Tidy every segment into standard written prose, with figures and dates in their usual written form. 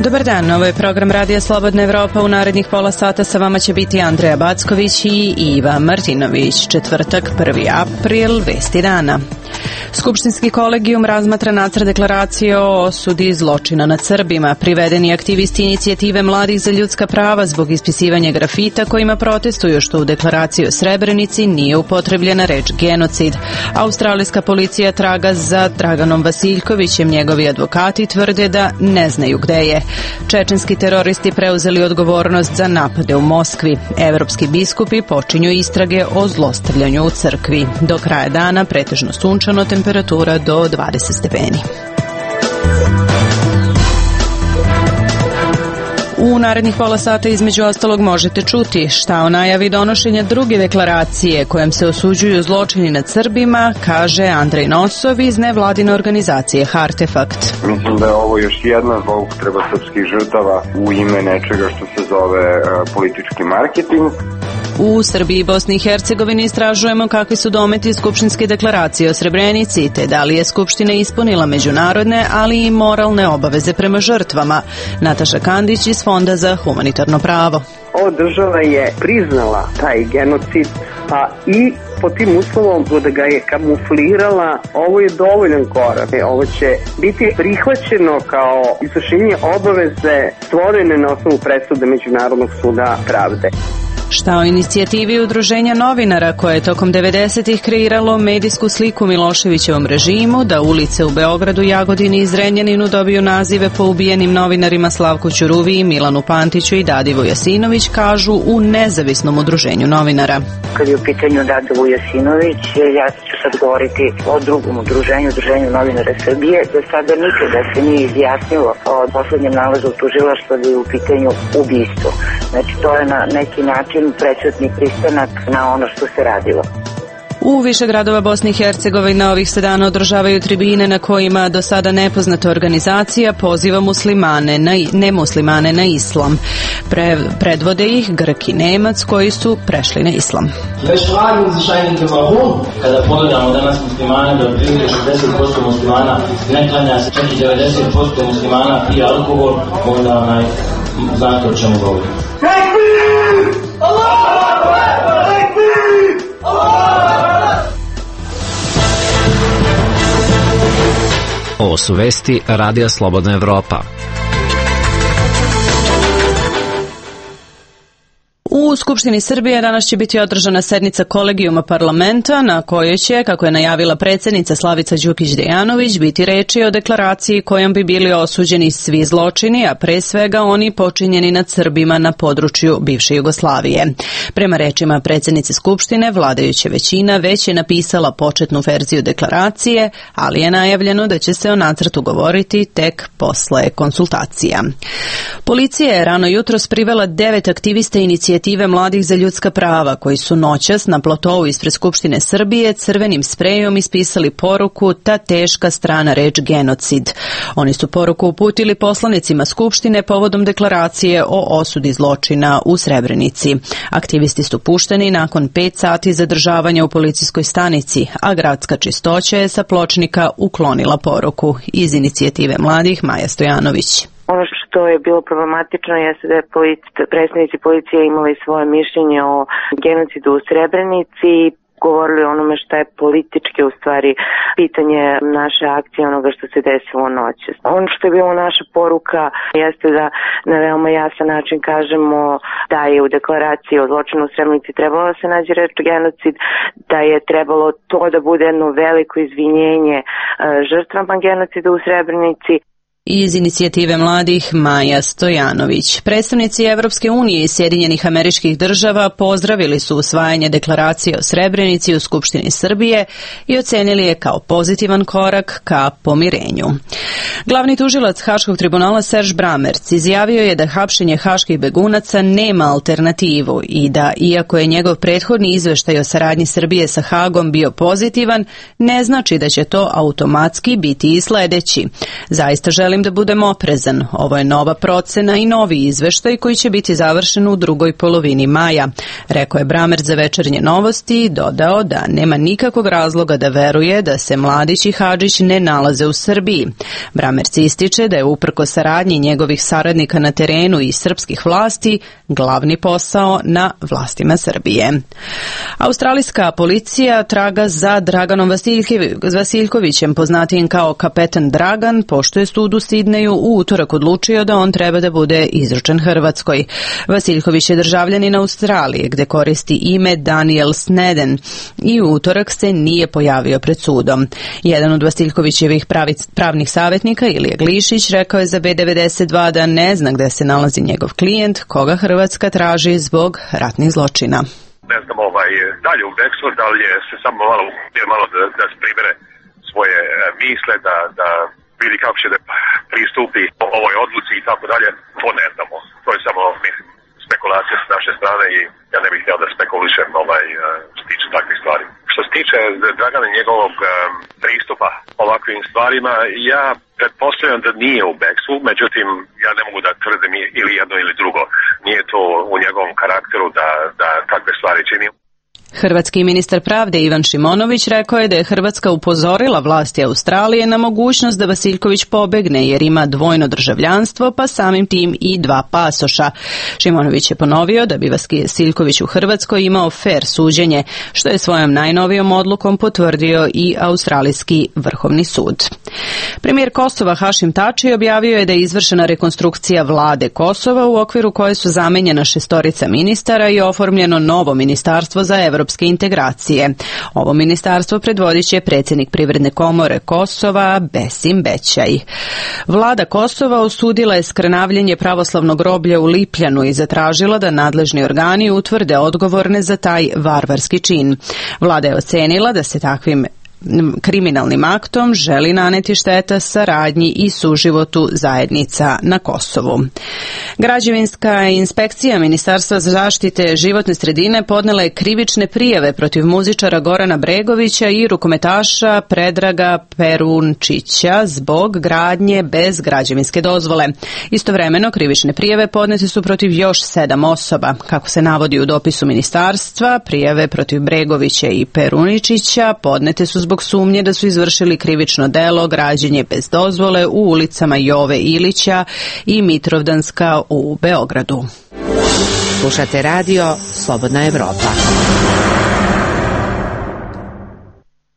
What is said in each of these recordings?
Dobar dan, ovo je program Radija Slobodna Evropa. U narednih pola sata sa vama će biti Andreja Backović i Iva Martinović. Četvrtak, 1. april, vesti dana. Skupštinski kolegijum razmatra nacrt deklaracije o osudi zločina nad Srbima. Privedeni aktivisti inicijative Mladih za ljudska prava zbog ispisivanja grafita kojima protestuju što u deklaraciji o Srebrenici nije upotrebljena reč genocid. Australijska policija traga za Draganom Vasiljkovićem. Njegovi advokati tvrde da ne znaju gde je. Čečenski teroristi preuzeli odgovornost za napade u Moskvi. Evropski biskupi počinju istrage o zlostavljanju u crkvi. Do kraja dana pretežno sunčano, temperatura do 20 stepeni. U narednih pola sata između ostalog možete čuti šta o najavi donošenja druge deklaracije kojom se osuđuju zločini nad Srbima, kaže Andrej Nosov iz nevladine organizacije Hartefakt. Mislim da je ovo još jedna zloupotreba srpskih žrtava u ime nečega što se zove politički marketing. U Srbiji i Bosni i Hercegovini istražujemo kakvi su dometi Skupštinske deklaracije o Srebrenici, te da li je Skupština ispunila međunarodne, ali i moralne obaveze prema žrtvama. Nataša Kandić iz Fonda za humanitarno pravo. Ova država je priznala taj genocid, pa i po tim uslovom da ga je kamuflirala, ovo je dovoljan korak. Ovo će biti prihvaćeno kao izvršenje obaveze stvorene na osnovu presude Međunarodnog suda pravde. Šta o inicijativi Udruženja novinara koje je tokom 90-ih kreiralo medijsku sliku Miloševićevom režimu da ulice u Beogradu, Jagodini i Zrenjaninu dobiju nazive po ubijenim novinarima Slavku Ćuruviji, Milanu Pantiću i Dadivu Jasinović, kažu u nezavisnom udruženju novinara. Kad je u pitanju Dadivu Jasinović, ja ću sad govoriti o drugom udruženju, Udruženju novinara Srbije, da sada nikada se nije izjasnilo o poslednjem nalazu tužilaštva da je u pitanju ubistvo. Znači to je na neki način prećutni pristanak na ono što se radilo. U više gradova Bosne i Hercegovine ovih se dana održavaju tribine na kojima do sada nepoznata organizacija poziva nemuslimane na islam. Predvode ih Grk i Nemac koji su prešli na islam. Kada pogledamo danas muslimane, da otprilike 60% muslimana ne klanja se, čak i 90% muslimana pije alkohol, onda znate o čemu govorimo. Ovo su vesti Radija Slobodna Evropa. U Skupštini Srbije danas će biti održana sednica kolegijuma parlamenta na kojoj će, kako je najavila predsjednica Slavica Đukić Dejanović, biti reči o deklaraciji kojom bi bili osuđeni svi zločini, a pre svega oni počinjeni nad Srbima na području bivše Jugoslavije. Prema rečima predsjednice Skupštine, vladajuća većina već je napisala početnu verziju deklaracije, ali je najavljeno da će se o nacrtu govoriti tek posle konsultacija. Policija je rano jutros privela 9 aktivista inicijative Mladih za ljudska prava koji su noćas na platovu ispred Skupštine Srbije crvenim sprejom ispisali poruku "Ta teška strana reč genocid". Oni su poruku uputili poslanicima Skupštine povodom deklaracije o osudi zločina u Srebrenici. Aktivisti su pušteni nakon 5 sati zadržavanja u policijskoj stanici, a gradska čistoća je sa pločnika uklonila poruku. Iz inicijative Mladih Maja Stojanović. Ono što je bilo problematično jeste da je predstavnici policije imali svoje mišljenje o genocidu u Srebrenici, govorili o onome što je politički u stvari pitanje naše akcije, onoga što se desilo noćas. Ono što je bilo naša poruka jeste da na veoma jasan način kažemo da je u deklaraciji o zločinu u Srebrenici trebalo da se nađe reč genocid, da je trebalo to da bude jedno veliko izvinjenje žrtvama genocida u Srebrenici. Iz inicijative Mladih Maja Stojanović. Predstavnici Evropske unije i Sjedinjenih Američkih Država pozdravili su usvajanje deklaracije o Srebrenici u Skupštini Srbije i ocenili je kao pozitivan korak ka pomirenju. Glavni tužilac Haškog tribunala Serž Bramerc izjavio je da hapšenje haških begunaca nema alternativu i da, iako je njegov prethodni izveštaj o saradnji Srbije sa Hagom bio pozitivan, ne znači da će to automatski biti i sledeći. Zaista želi želim da budem oprezan. Ovo je nova procena i novi izveštaj koji će biti završen u drugoj polovini maja, rekao je Bramerc za Večernje novosti i dodao da nema nikakvog razloga da veruje da se Mladić i Hadžić ne nalaze u Srbiji. Bramerc ističe da je uprko saradnji njegovih saradnika na terenu i srpskih vlasti glavni posao na vlastima Srbije. Australijska policija traga za Draganom Vasiljkovićem, poznatijim kao Kapetan Dragan, pošto je sud u Sidneju u utorak odlučio da on treba da bude izručen Hrvatskoj. Vasiljković je državljanin Australije, gde koristi ime Daniel Sneden i u utorak se nije pojavio pred sudom. Jedan od Vasiljkovićevih pravnih savjetnika, Ilija Glišić, rekao je za B92 da ne zna gde se nalazi njegov klijent, koga Hrvatska traži zbog ratnih zločina. Ne znam, dalje u bekstvu, da li je se samo malo da pribere svoje misle, da vidi kako će da pristupi ovoj odluci i tako dalje, to ne znamo. To je samo, mislim, spekulacija s naše strane i ja ne bih htio da spekulišem što tiče takvih stvari. Što se tiče Dragana i njegovog pristupa ovakvim stvarima, ja pretpostavljam da nije u bekstvu, međutim, ja ne mogu da tvrdim ili jedno ili drugo. Nije to u njegovom karakteru da takve stvari čini. Hrvatski ministar pravde Ivan Šimonović rekao je da je Hrvatska upozorila vlasti Australije na mogućnost da Vasiljković pobegne jer ima dvojno državljanstvo, pa samim tim i dva pasoša. Šimonović je ponovio da bi Vasiljković u Hrvatskoj imao fer suđenje, što je svojom najnovijom odlukom potvrdio i Australijski vrhovni sud. Premijer Kosova Hašim Tači objavio je da je izvršena rekonstrukcija vlade Kosova u okviru koje su zamenjena 6 ministara i oformljeno novo ministarstvo za evropske integracije. Ovo ministarstvo predvodit će predsjednik Privredne komore Kosova Besim Bećaj. Vlada Kosova osudila je skrnavljenje pravoslavnog groblja u Lipljanu i zatražila da nadležni organi utvrde odgovorne za taj varvarski čin. Vlada je ocenila da se takvim kriminalnim aktom želi naneti šteta saradnji i suživotu zajednica na Kosovu. Građevinska inspekcija Ministarstva za zaštite životne sredine podnela je krivične prijave protiv muzičara Gorana Bregovića i rukometaša Predraga Perunčića zbog gradnje bez građevinske dozvole. Istovremeno krivične prijave podnete su protiv još 7 osoba. Kako se navodi u dopisu ministarstva, prijave protiv Bregovića i Peruničića podnete su zbog sumnje da su izvršili krivično delo građenje bez dozvole u ulicama Jove Ilića i Mitrovdanska u Beogradu. Slušate radio Slobodna Evropa.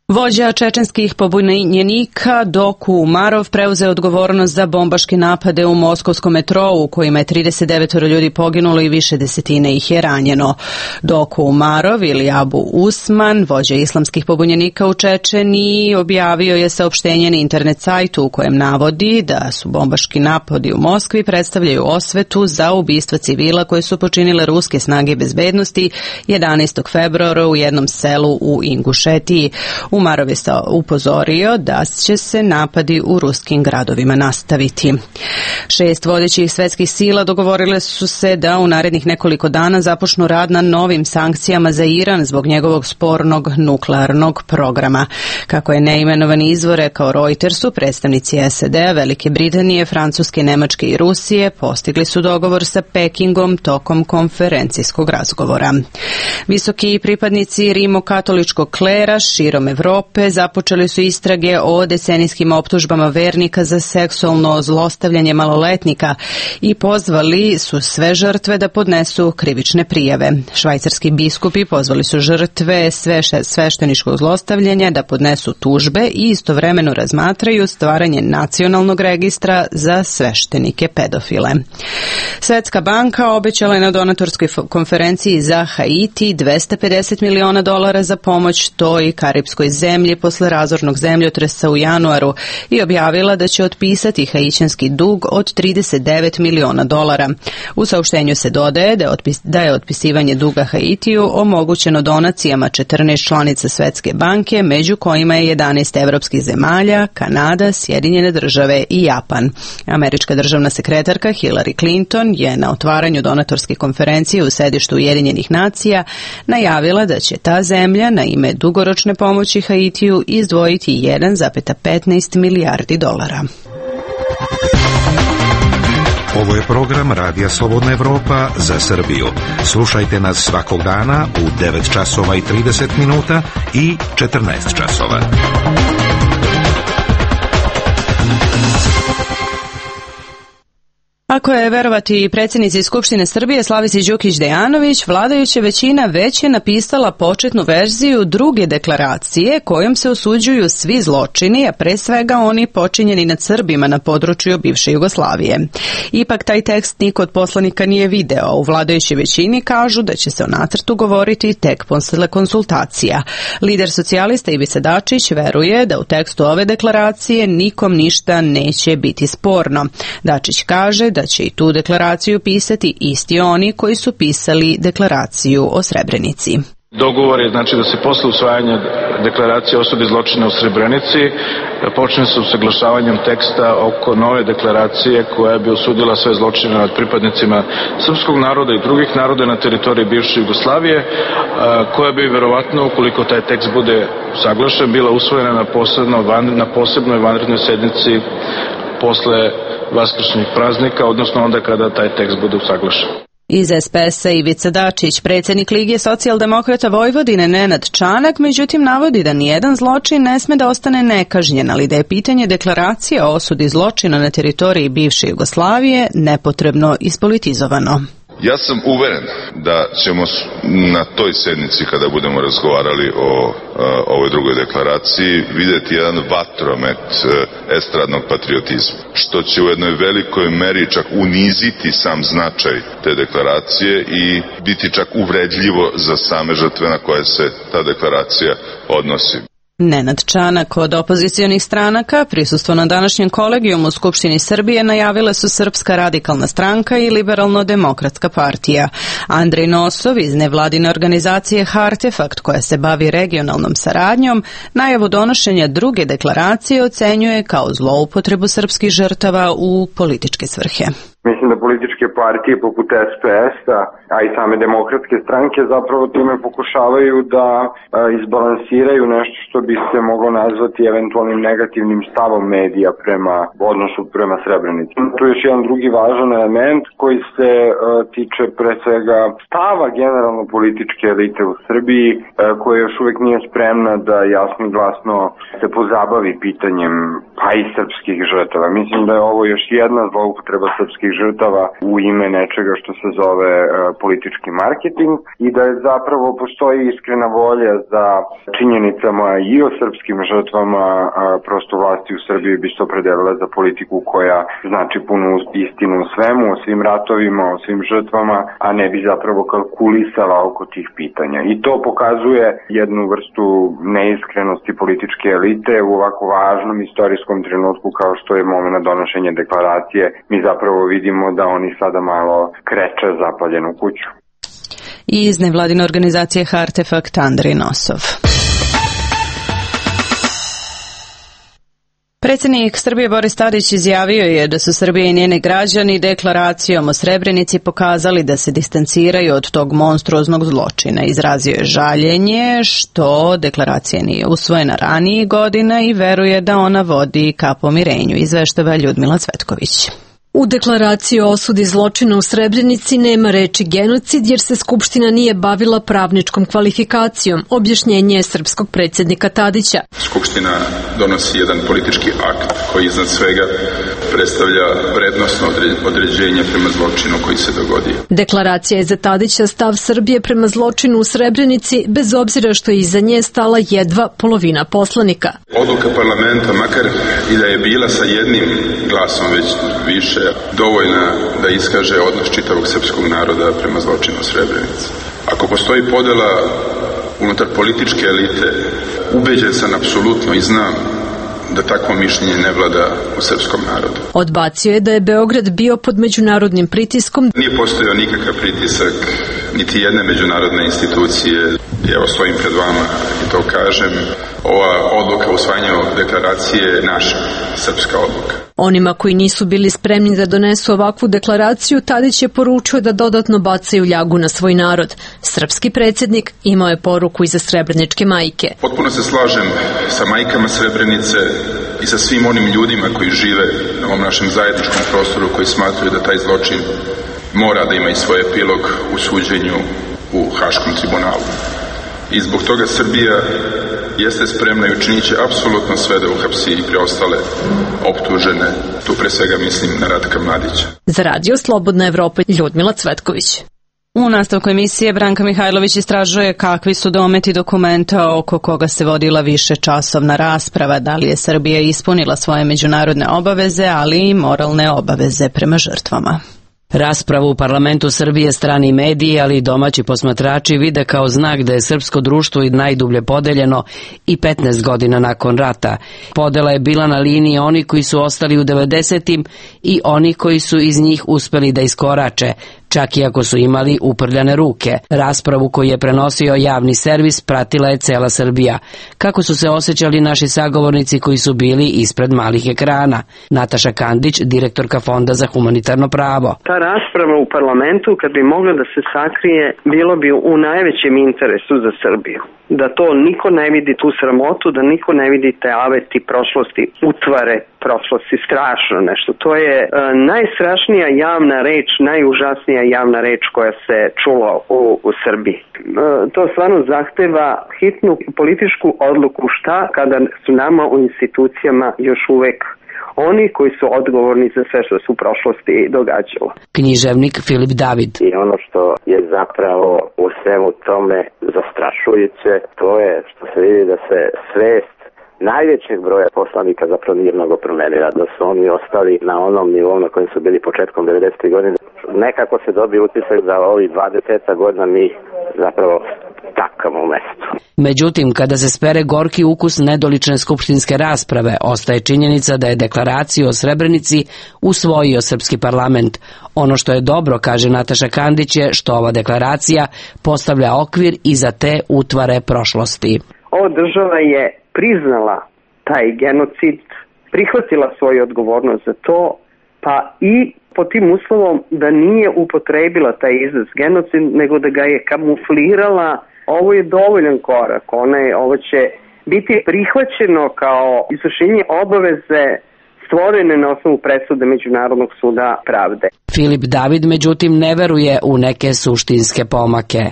Vođa čečenskih pobunjenika Doku Umarov preuzeo odgovornost za bombaške napade u moskovskom metrou u kojima je 39 ljudi poginulo i više desetine ih je ranjeno. Doku Umarov ili Abu Usman, vođa islamskih pobunjenika u Čečeniji, objavio je saopštenje na internet sajtu u kojem navodi da su bombaški napadi u Moskvi predstavljaju osvetu za ubistva civila koje su počinile ruske snage bezbednosti 11. februara u jednom selu u Ingušetiji. Umarov je upozorio da će se napadi u ruskim gradovima nastaviti. 6 vodećih svetskih sila dogovorile su se da u narednih nekoliko dana započnu rad na novim sankcijama za Iran zbog njegovog spornog nuklearnog programa. Kako je neimenovani izvor rekao Reutersu, predstavnici SAD-a, Velike Britanije, Francuske, Nemačke i Rusije postigli su dogovor sa Pekingom tokom konferencijskog razgovora. Visoki pripadnici rimokatoličkog klera širom Evrope započeli su istrage o decenijskim optužbama vernika za seksualno zlostavljanje maloletnika i pozvali su sve žrtve da podnesu krivične prijave. Švajcarski biskupi pozvali su žrtve svešteničkog zlostavljanja da podnesu tužbe i istovremeno razmatraju stvaranje nacionalnog registra za sveštenike pedofile. Svetska banka obećala je na donatorskoj konferenciji za Haiti $250 miliona za pomoć toj karipskoj zemlji posle razornog zemljotresa u januaru i objavila da će otpisati haićanski dug od $39 miliona. U saopštenju se dodaje da je otpisivanje duga Haitiju omogućeno donacijama 14 članica Svetske banke, među kojima je 11 evropskih zemalja, Kanada, Sjedinjene države i Japan. Američka državna sekretarka Hillary Clinton je na otvaranju donatorske konferencije u sedištu Ujedinjenih nacija najavila da će ta zemlja na ime dugoročne pomoći Haitiju izdvojiti $1,15 milijardi. Ovo je program Radija Slobodna Evropa za Srbiju. Slušajte nas svakog dana u 9 časova i 30 minuta i 14 časova. Ako je verovati predsjednici Skupštine Srbije Slavici Đukić Dejanović, vladajuća većina već je napisala početnu verziju druge deklaracije kojom se osuđuju svi zločini, a pre svega oni počinjeni nad Srbima na području bivše Jugoslavije. Ipak taj tekst niko od poslanika nije video, a u vladajućoj većini kažu da će se o nacrtu govoriti tek posle konsultacija. Lider socijalista Ivica Dačić veruje da u tekstu ove deklaracije nikom ništa neće biti sporno. Dačić kaže da će i tu deklaraciju pisati isti oni koji su pisali deklaraciju o Srebrenici. Dogovor je znači da se posle usvajanja deklaracije o osudi zločina u Srebrenici počne sa usaglašavanjem teksta oko nove deklaracije koja bi osudila sve zločine nad pripadnicima srpskog naroda i drugih naroda na teritoriji bivše Jugoslavije, koja bi verovatno, ukoliko taj tekst bude usaglašen, bila usvojena na posebnoj vanrednoj sednici posle vaskršnjih praznika, odnosno onda kada taj tekst bude usaglašen. Iz SPS-a Ivica Dačić, predsjednik Lige socijaldemokrata Vojvodine Nenad Čanak, međutim navodi da nijedan zločin ne sme da ostane nekažnjen, ali da je pitanje deklaracije o osudi zločina na teritoriji bivše Jugoslavije nepotrebno ispolitizovano. Ja sam uveren da ćemo na toj sednici, kada budemo razgovarali o ovoj drugoj deklaraciji, vidjeti jedan vatromet estradnog patriotizma, što će u jednoj velikoj meri čak uniziti sam značaj te deklaracije i biti čak uvredljivo za same žrtve na koje se ta deklaracija odnosi. Nenad Čanak od opozicionih stranaka prisustvo na današnjem kolegijumu u Skupštini Srbije najavile su Srpska radikalna stranka i Liberalno-demokratska partija. Andrej Nosov iz nevladine organizacije Hartefakt, koja se bavi regionalnom saradnjom, najavu donošenja druge deklaracije ocenjuje kao zloupotrebu srpskih žrtava u političke svrhe. Mislim da političke partije poput SPS-a, a i same demokratske stranke zapravo time pokušavaju da izbalansiraju nešto što bi se moglo nazvati eventualnim negativnim stavom medija prema odnosu prema Srebrenici. Tu je još jedan drugi važan element koji se tiče pre svega stava generalno političke elite u Srbiji, koja još uvek nije spremna da jasno i glasno se pozabavi pitanjem pa i srpskih žrtava. Mislim da je ovo još jedna zloupotreba srpskih žrtava u ime nečega što se zove politički marketing i da je zapravo postoji iskrena volja za činjenicama i o srpskim žrtvama, prosto vlasti u Srbiji bi se opredelile za politiku koja znači punu istinu o svemu, o svim ratovima, o svim žrtvama, a ne bi zapravo kalkulisala oko tih pitanja. I to pokazuje jednu vrstu neiskrenosti političke elite u ovako važnom istorijskom trenutku kao što je moment donošenja deklaracije. Mi zapravo vidimo da oni sada malo kreče zapaljenu kuću. I iz nevladine organizacije Hartefakt Andrej Nosov. Predsjednik Srbije Boris Tadić izjavio je da su Srbija i njeni građani deklaracijom o Srebrenici pokazali da se distanciraju od tog monstruoznog zločina. Izrazio je žaljenje što deklaracija nije usvojena ranijih godina i veruje da ona vodi ka pomirenju, izveštava Ljudmila Cvetković. U deklaraciji o osudi zločina u Srebrenici nema reči genocid jer se Skupština nije bavila pravničkom kvalifikacijom, objašnjenje je srpskog predsjednika Tadića. Skupština donosi jedan politički akt koji iznad svega predstavlja vrednosno određenje prema zločinu koji se dogodio. Deklaracija je za Tadića stav Srbije prema zločinu u Srebrenici, bez obzira što je iza nje stala jedva polovina poslanika. Odluka parlamenta, makar i da je bila sa jednim glasom već više, dovoljna da iskaže odnos čitavog srpskog naroda prema zločinu u Srebrenici. Ako postoji podela unutar političke elite, ubeđen sam apsolutno i znam da takvo mišljenje ne vlada u srpskom narodu. Odbacio je da je Beograd bio pod međunarodnim pritiskom. Nije postojao nikakav pritisak niti jedne međunarodne institucije. Evo stojim pred vama i to kažem, ova odluka o usvajanju deklaracije je naša srpska odluka. Onima koji nisu bili spremni da donesu ovakvu deklaraciju, Tadić je poručio da dodatno bacaju ljagu na svoj narod. Srpski predsjednik imao je poruku i za srebreničke majke. Potpuno se slažem sa majkama Srebrenice i sa svim onim ljudima koji žive na ovom našem zajedničkom prostoru, koji smatraju da taj zločin mora da ima i svoj epilog u suđenju u Haškom tribunalu. I zbog toga Srbija jeste spremna i učinit će apsolutno sve da uhapsi i preostale optužene. Tu pre svega mislim na Ratka Mladića. Za Radio Slobodna Evropa, Ljudmila Cvetković. U nastavku emisije Branka Mihajlović istražuje kakvi su dometi dokumenta oko koga se vodila višečasovna rasprava, da li je Srbija ispunila svoje međunarodne obaveze, ali i moralne obaveze prema žrtvama. Raspravu u parlamentu Srbije strani mediji, ali i domaći posmatrači vide kao znak da je srpsko društvo i najdublje podeljeno i 15 godina nakon rata. Podela je bila na liniji oni koji su ostali u 90-im i oni koji su iz njih uspeli da iskorače, čak i ako su imali uprljane ruke. Raspravu koju je prenosio javni servis pratila je cela Srbija. Kako su se osjećali naši sagovornici koji su bili ispred malih ekrana? Nataša Kandić, direktorka Fonda za humanitarno pravo. Ta rasprava u parlamentu, kad bi mogla da se sakrije, bilo bi u najvećem interesu za Srbiju. Da to niko ne vidi tu sramotu, da niko ne vidi te aveti prošlosti, utvare prošlosti, strašno nešto. To je najstrašnija javna reč, najužasnija javna reč koja se čula u Srbiji. To stvarno zahteva hitnu političku odluku šta kada su nama u institucijama još uvek oni koji su odgovorni za sve što se u prošlosti događalo. Književnik Filip David. I ono što je zapravo u svemu tome zastrašujuće, to je što se vidi da se svest najvećeg broja poslanika zapravo nije mnogo promenila, da su oni ostali na onom nivou na kojem su bili početkom 90. godine. Nekako se dobije utisak da ovih 20 godina mi zapravo takamo u mestu. Međutim, kada se spere gorki ukus nedolične skupštinske rasprave, ostaje činjenica da je deklaraciju o Srebrenici usvojio srpski parlament. Ono što je dobro, kaže Nataša Kandić, je što ova deklaracija postavlja okvir i za te utvare prošlosti. Ova država je priznala taj genocid, prihvatila svoju odgovornost za to, pa i pod tim uslovom da nije upotrebila taj izraz genocid, nego da ga je kamuflirala. Ovo je dovoljan korak, ovo će biti prihvaćeno kao izvršenje obaveze stvorene na osnovu presude Međunarodnog suda pravde. Filip David, međutim, ne veruje u neke suštinske pomake.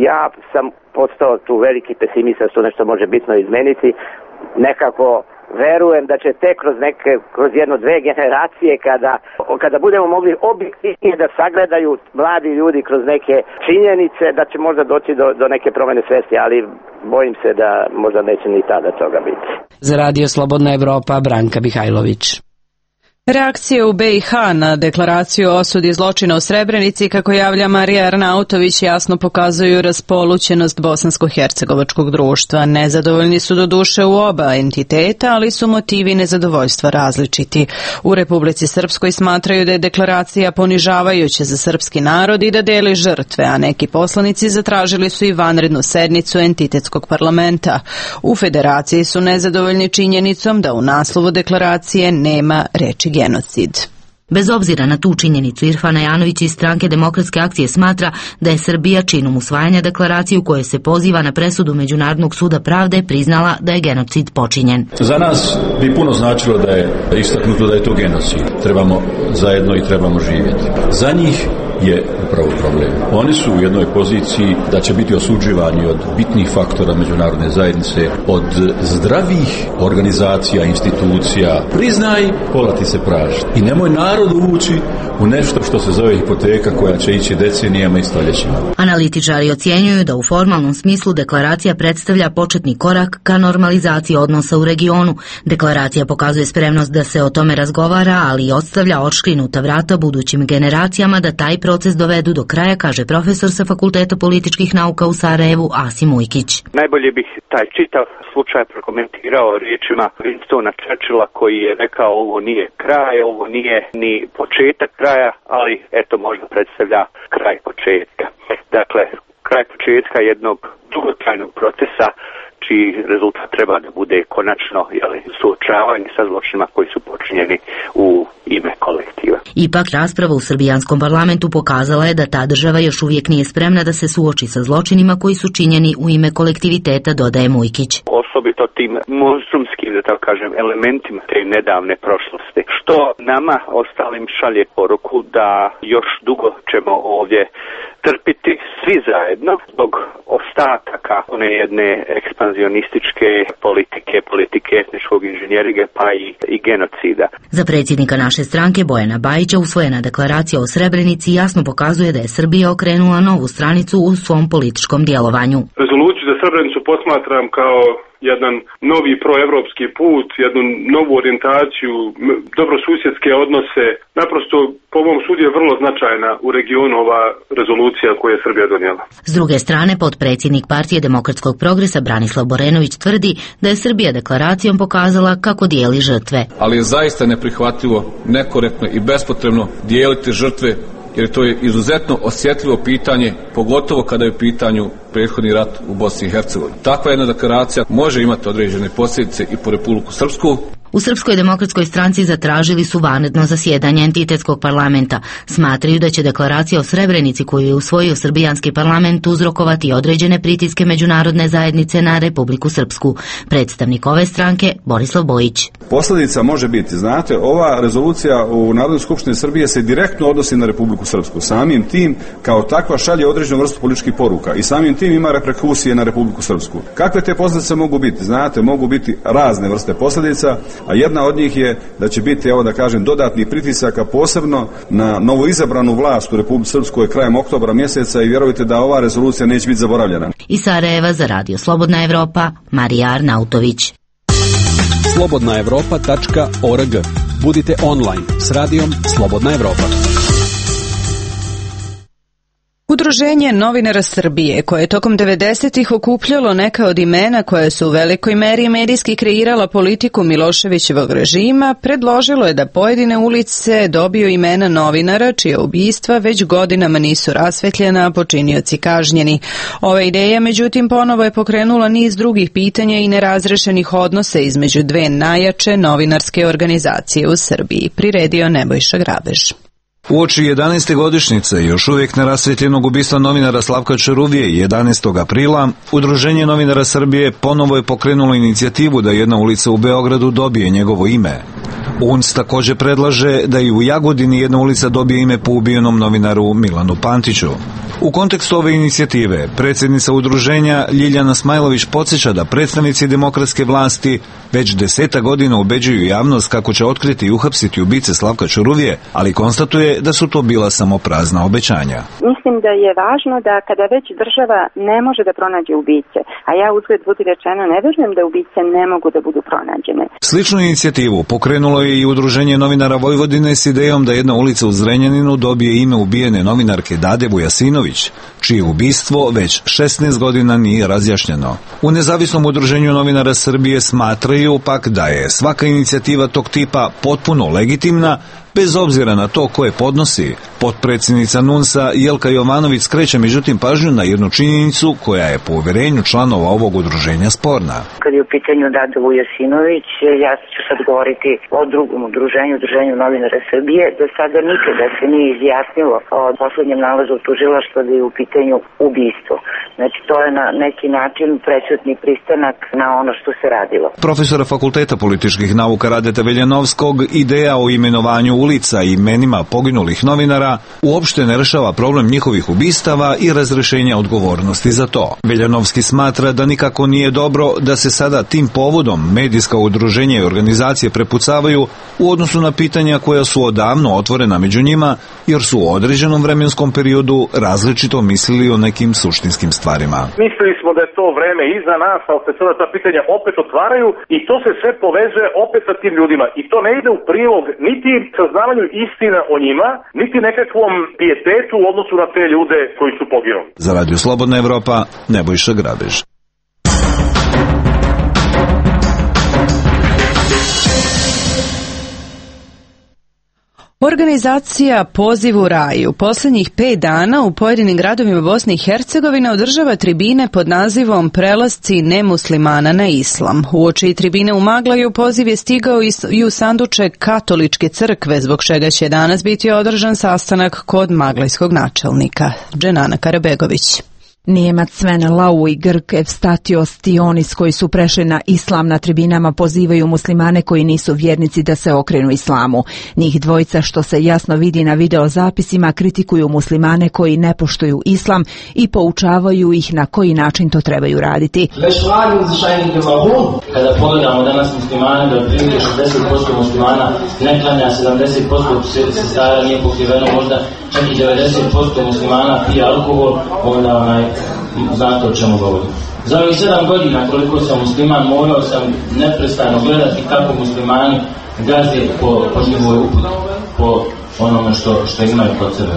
Ja sam postao tu veliki pesimista da se nešto može bitno izmeniti. Nekako verujem da će tek kroz jedno-dve generacije kada budemo mogli objektivnije da sagledaju mladi ljudi kroz neke činjenice, da će možda doći do neke promene svesti, ali bojim se da možda neće ni tada toga biti. Za Radio Slobodna Evropa, Branka Mihajlović. Reakcije u BiH na deklaraciju o osudi zločina u Srebrenici, kako javlja Marija Arnautović, jasno pokazuju raspolućenost bosansko-hercegovačkog društva. Nezadovoljni su doduše u oba entiteta, ali su motivi nezadovoljstva različiti. U Republici Srpskoj smatraju da je deklaracija ponižavajuća za srpski narod i da deli žrtve, a neki poslanici zatražili su i vanrednu sednicu entitetskog parlamenta. U Federaciji su nezadovoljni činjenicom da u naslovu deklaracije nema reči genocid. Bez obzira na tu činjenicu, Irfana Janović iz stranke Demokratske akcije smatra da je Srbija činom usvajanja deklaracije u kojoj se poziva na presudu Međunarodnog suda pravde priznala da je genocid počinjen. Za nas bi puno značilo da je istaknuto da je to genocid. Trebamo zajedno i trebamo živjeti. Za njih je upravo problem. Oni su u jednoj poziciji da će biti osuđivani od bitnih faktora međunarodne zajednice, od zdravih organizacija, institucija. Priznaj, pola ti se praži. I nemoj narod uvući u nešto što se zove hipoteka koja će ići decenijama i stoljećima. Analitičari ocjenjuju da u formalnom smislu deklaracija predstavlja početni korak ka normalizaciji odnosa u regionu. Deklaracija pokazuje spremnost da se o tome razgovara, ali i ostavlja odškrinuta vrata budućim generacijama da taj proces dovedu do kraja, kaže profesor sa Fakulteta političkih nauka u Sarajevu Asim Ujkić. Najbolje bih taj čitav slučaj prokomentirao riječima Winstona Churchilla koji je rekao ovo nije kraj, ovo nije ni početak kraja, ali eto možda predstavlja kraj početka. Dakle, kraj početka jednog dugotrajnog procesa čiji rezultat treba da bude konačno suočavanje sa zločinima koji su počinjeni u ime kolektiva. Ipak rasprava u srbijanskom parlamentu pokazala je da ta država još uvijek nije spremna da se suoči sa zločinima koji su činjeni u ime kolektiviteta, dodaje Mujkić. Osobito tim monstrumskim, da tako kažem, elementima te nedavne prošlosti, što nama ostalim šalje poruku da još dugo ćemo ovdje trpiti svi zajedno zbog ostataka one jedne ekspanzionističke politike etničkog inženjeringa pa i genocida. Za predsjednika naše stranke Bojana Bajića usvojena deklaracija o Srebrenici jasno pokazuje da je Srbija okrenula novu stranicu u svom političkom djelovanju. Rezoluciju za Srebrenicu posmatram kao jedan novi proevropski put, jednu novu orijentaciju, dobrosusjedske odnose. Naprosto, po mom sudu je vrlo značajna u regionu ova rezolucija koju je Srbija donijela. S druge strane, potpredsjednik Partije demokratskog progresa Branislav Borenović tvrdi da je Srbija deklaracijom pokazala kako dijeli žrtve. Ali je zaista neprihvatljivo, nekorektno i bespotrebno dijeliti žrtve, jer to je izuzetno osjetljivo pitanje, pogotovo kada je u pitanju prethodni rat u Bosni i Hercegovini. Takva jedna deklaracija može imati određene posljedice i po Republiku Srpsku. U Srpskoj demokratskoj stranci zatražili su vanredno zasjedanje entitetskog parlamenta. Smatraju da će deklaracija o Srebrenici koju je usvojio srbijanski parlament uzrokovati određene pritiske međunarodne zajednice na Republiku Srpsku. Predstavnik ove stranke Borislav Bojić. Posljedica može biti, znate, ova rezolucija u Narodnoj skupštini Srbije se direktno odnosi na Republiku Srpsku. Samim tim kao takva šalje određenu vrstu političkih poruka i samim tim ima reperkusije na Republiku Srpsku. Kakve te posljedice mogu biti? Znate, mogu biti razne vrste posljedica, a jedna od njih je da će biti, evo da kažem, dodatnih pritisaka posebno na novoizabranu vlast u Republici Srpskoj krajem oktobra mjeseca i vjerujte da ova rezolucija neće biti zaboravljena. Iz Sarajeva za Radio Slobodna Evropa, Marija Arnautović. slobodnaevropa.org. Budite online s radijom Slobodna Evropa. Udruženje novinara Srbije, koje je tokom 90-ih okupljalo neka od imena koja su u velikoj meri medijski kreirala politiku Miloševićevog režima, predložilo je da pojedine ulice dobiju imena novinara čija ubistva već godinama nisu rasvetljena, a počinioci kažnjeni. Ova ideja, međutim, ponovo je pokrenula niz drugih pitanja i nerazrešenih odnosa između dve najjače novinarske organizacije u Srbiji, priredio Nebojša Grabež. Uoči 11. godišnjice još uvijek nerasvetljenog ubistva novinara Slavka Čaruvije 11. aprila, Udruženje novinara Srbije ponovo je pokrenulo inicijativu da jedna ulica u Beogradu dobije njegovo ime. UNS također predlaže da i u Jagodini jedna ulica dobije ime po ubijenom novinaru Milanu Pantiću. U kontekstu ove inicijative, predsjednica udruženja Ljiljana Smajlović podsjeća da predstavnici demokratske vlasti već 10 godina ubeđuju javnost kako će otkriti i uhapsiti ubice Slavka Čaruvije, ali konstatuje da su to bila samo prazna obećanja. Mislim da je važno da kada već država ne može da pronađe ubice, a ja uzgled budi rečeno ne vjerujem da ubice ne mogu da budu pronađene. Sličnu inicijativu pokrenulo je i Udruženje novinara Vojvodine s idejom da jedna ulica u Zrenjaninu dobije ime ubijene novinarke Dade Vujasinović, čije ubistvo već 16 godina nije razjašnjeno. U Nezavisnom udruženju novinara Srbije smatraju pak da je svaka inicijativa tog tipa potpuno legitimna, bez obzira na to ko je podnosi. Potpredsjednica NUNS-a Jelka Jovanović skreće međutim pažnju na jednu činjenicu koja je po uvjerenju članova ovog udruženja sporna. Kad je u pitanju Dada Vujasinović, ja ću sad govoriti o drugom udruženju novinara Srbije. Do sada nikada se nije izjasnilo o posljednjem nalazu tužilaštva da je u pitanju ubistvo. Znači to je na neki način prećutni pristanak na ono što se radilo. Profesora Fakulteta političkih nauka Radeta Veljanovskog ideja o imenovanju ulica i imenima poginulih novinara uopšte ne rešava problem njihovih ubistava i razrešenja odgovornosti za to. Veljanovski smatra da nikako nije dobro da se sada tim povodom medijska udruženja i organizacije prepucavaju u odnosu na pitanja koja su odavno otvorena među njima, jer su u određenom vremenskom periodu različito mislili o nekim suštinskim stvarima. Mislili smo da je to vreme iza nas, ali se sada ta pitanja opet otvaraju i to se sve povezuje opet sa tim ljudima. I to ne ide u prilog niti saznavanju istina o njima, niti nekakvom pijetetu u odnosu na te ljude koji su poginuli. Za Radio Slobodna Evropa, Nebojša Grabež. Organizacija Poziv u raj u posljednjih 5 dana u pojedinim gradovima Bosne i Hercegovine održava tribine pod nazivom Prelasci nemuslimana na islam. Uoči tribine u Maglaju poziv je stigao i u sanduče Katoličke crkve, zbog čega će danas biti održan sastanak kod maglajskog načelnika. Dženana Karabegović. Nijemac Sven Lau i Grk Evstatios Tionis, koji su prešli na islam, na tribinama pozivaju muslimane koji nisu vjernici da se okrenu islamu. Njih dvojica, što se jasno vidi na videozapisima, kritikuju muslimane koji ne poštuju islam i poučavaju ih na koji način to trebaju raditi. Kada pogledamo danas muslimane, da otprilike 60% muslimana ne klanja, 70% sestara nije pokriveno, možda čak i 90% muslimana pije alkohol, onda znate o čemu govorim. Za ovih 7 godina koliko sam musliman, morao sam neprestano gledati kako muslimani gaze po njihovoj uputi, po onome što imaju kod sebe.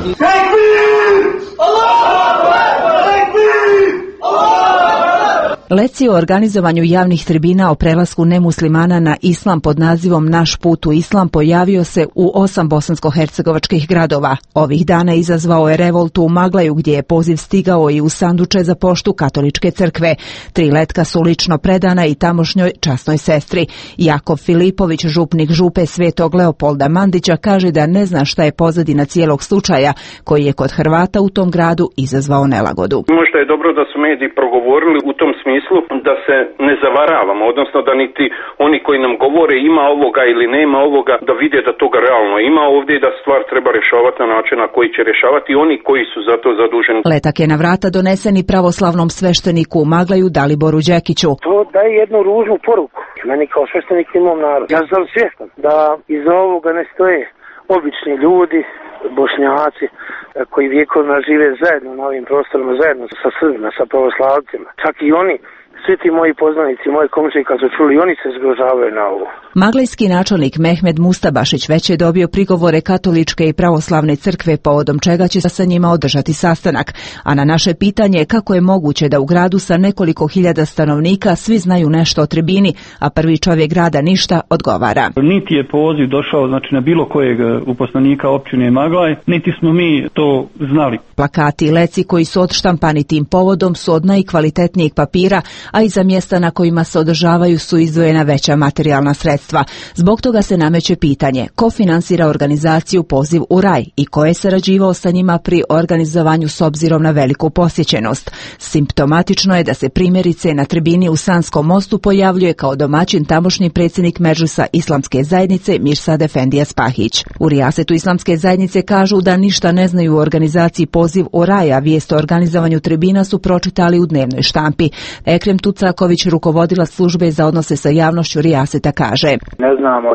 Lekcije o organizovanju javnih tribina o prelasku nemuslimana na islam pod nazivom Naš put u islam pojavio se u 8 bosansko-hercegovačkih gradova. Ovih dana izazvao je revoltu u Maglaju, gdje je poziv stigao i u sanduče za poštu Katoličke crkve. 3 letka su lično predana i tamošnjoj časnoj sestri. Jakov Filipović, župnik župe Svetog Leopolda Mandića, kaže da ne zna šta je pozadina cijelog slučaja, koji je kod Hrvata u tom gradu izazvao nelagodu. Možda je dobro da su mediji progovorili u tom smislu da se ne zavaravamo, odnosno da niti oni koji nam govore ima ovoga ili nema ovoga, da vide da toga realno ima ovdje i da stvar treba rješavati na način na koji će rješavati oni koji su za to zaduženi. Letak je na vrata donesen i pravoslavnom svešteniku u Maglaju Daliboru Đekiću. To daje jednu ružnu poruku. Meni kao sveštenik i mom narodu. Ja sam svjestan da iza ovoga ne stoje obični ljudi, Bošnjaci, koji vjekovima žive zajedno na ovim prostorima, zajedno sa Srbima, sa pravoslavcima. Čak i oni, svi ti moji poznanici, moji komšije kad su čuli, oni se zgrožavaju na ovo. Maglajski načelnik Mehmed Mustabašić već je dobio prigovore Katoličke i pravoslavne crkve, povodom čega će sa njima održati sastanak. A na naše pitanje kako je moguće da u gradu sa nekoliko hiljada stanovnika svi znaju nešto o tribini, a prvi čovjek grada ništa, odgovara. Niti je poziv došao na bilo kojeg uposlenika općine Maglaj, niti smo mi to znali. Plakati i leci koji su odštampani tim povodom su od najkvalitetnijeg papira, a iza mjesta na kojima se održavaju su izdvojena veća materijalna sredstva. Zbog toga se nameće pitanje ko finansira organizaciju Poziv u raj i ko je sarađivao sa njima pri organizovanju s obzirom na veliku posjećenost. Simptomatično je da se primjerice na tribini u Sanskom mostu pojavljuje kao domaćin tamošnji predsjednik Medžlisa Islamske zajednice Mirsad Efendija Spahić. U Rijasetu Islamske zajednice kažu da ništa ne znaju u organizaciji Poziv u raj, a vijest o organizovanju tribina su pročitali u dnevnoj štampi. Ekrem Tucaković, rukovodila službe za odnose sa javnošću Rijaseta, kaže: Ne znamo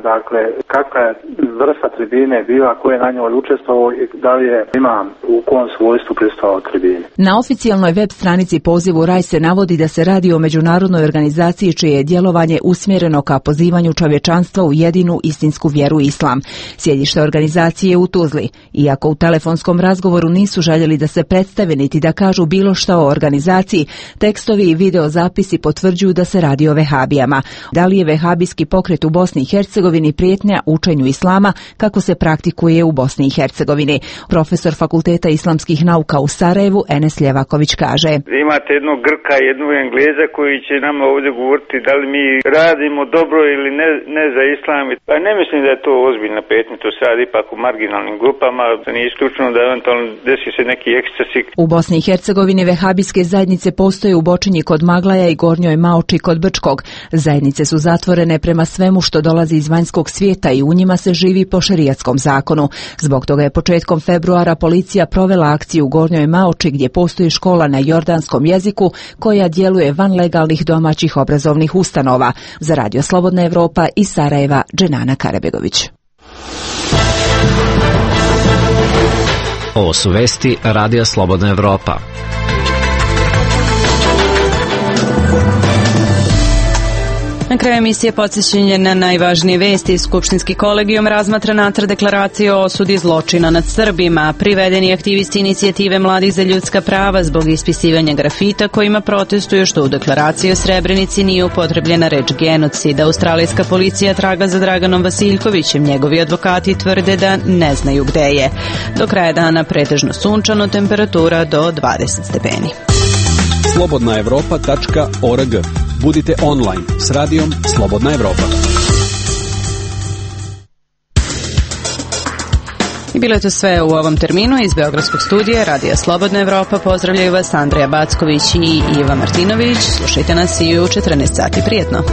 kakva je vrsta tribine bila, ko je na njoj učestvovao i da li je imam u kom svojstvu prisustvovao tribini. Na oficijalnoj web stranici Poziv u raj se navodi da se radi o međunarodnoj organizaciji čije je djelovanje usmjereno ka pozivanju čovječanstva u jedinu istinsku vjeru islam. Sjedište organizacije je u Tuzli. Iako u telefonskom razgovoru nisu željeli da se predstave niti da kažu bilo šta o organizaciji, tekstovi i videozapisi potvrđuju da se radi o vehabijama. Da li je vehabijski pokret u Bosni i Hercegovini prijetnja učenju islama kako se praktikuje u Bosni i Hercegovini? Profesor Fakulteta islamskih nauka u Sarajevu Enes Ljevaković kaže: Imate jednog Grka i jednog Engleza koji će nama ovdje govoriti da li mi radimo dobro ili ne za islam. Pa ne mislim da je to ozbiljna prijetnja, to se radi ipak u marginalnim grupama, da nije isključeno da eventualno desi se neki ekscesi. U Bosni i Hercegovini vehabijske zajednice postoje u Bočinji kod Maglaja i Gornjoj Maoči kod Brčkog. Zajednice su zatvorene prema svemu što dolazi iz vanjskog svijeta i u njima se živi po šerijatskom zakonu. Zbog toga je početkom februara policija provela akciju u Gornjoj Maoči, gdje postoji škola na jordanskom jeziku koja djeluje van legalnih domaćih obrazovnih ustanova. Za Radio Slobodna Evropa iz Sarajeva, Dženana Karabegović. Ovo su vesti Radio Slobodna Evropa. Na kraju emisije podsjećanje na najvažnije vesti. Skupštinski kolegijum razmatra nacrt deklaracije o osudi zločina nad Srbima. Privedeni aktivisti inicijative Mladih za ljudska prava zbog ispisivanja grafita kojima protestuju što u deklaraciji o Srebrenici nije upotrebljena reč genocid. Australijska policija traga za Draganom Vasiljkovićem. Njegovi advokati tvrde da ne znaju gde je. Do kraja dana pretežno sunčano, temperatura do 20 stepeni. Slobodnaevropa.org. Budite online s radijom Slobodna Evropa. I bilo je to sve u ovom terminu iz Beogradskog studija Radija Slobodna Evropa. Pozdravljaju vas Andreja Backović i Iva Martinović. Slušajte nas i u 14 sati. Prijetno.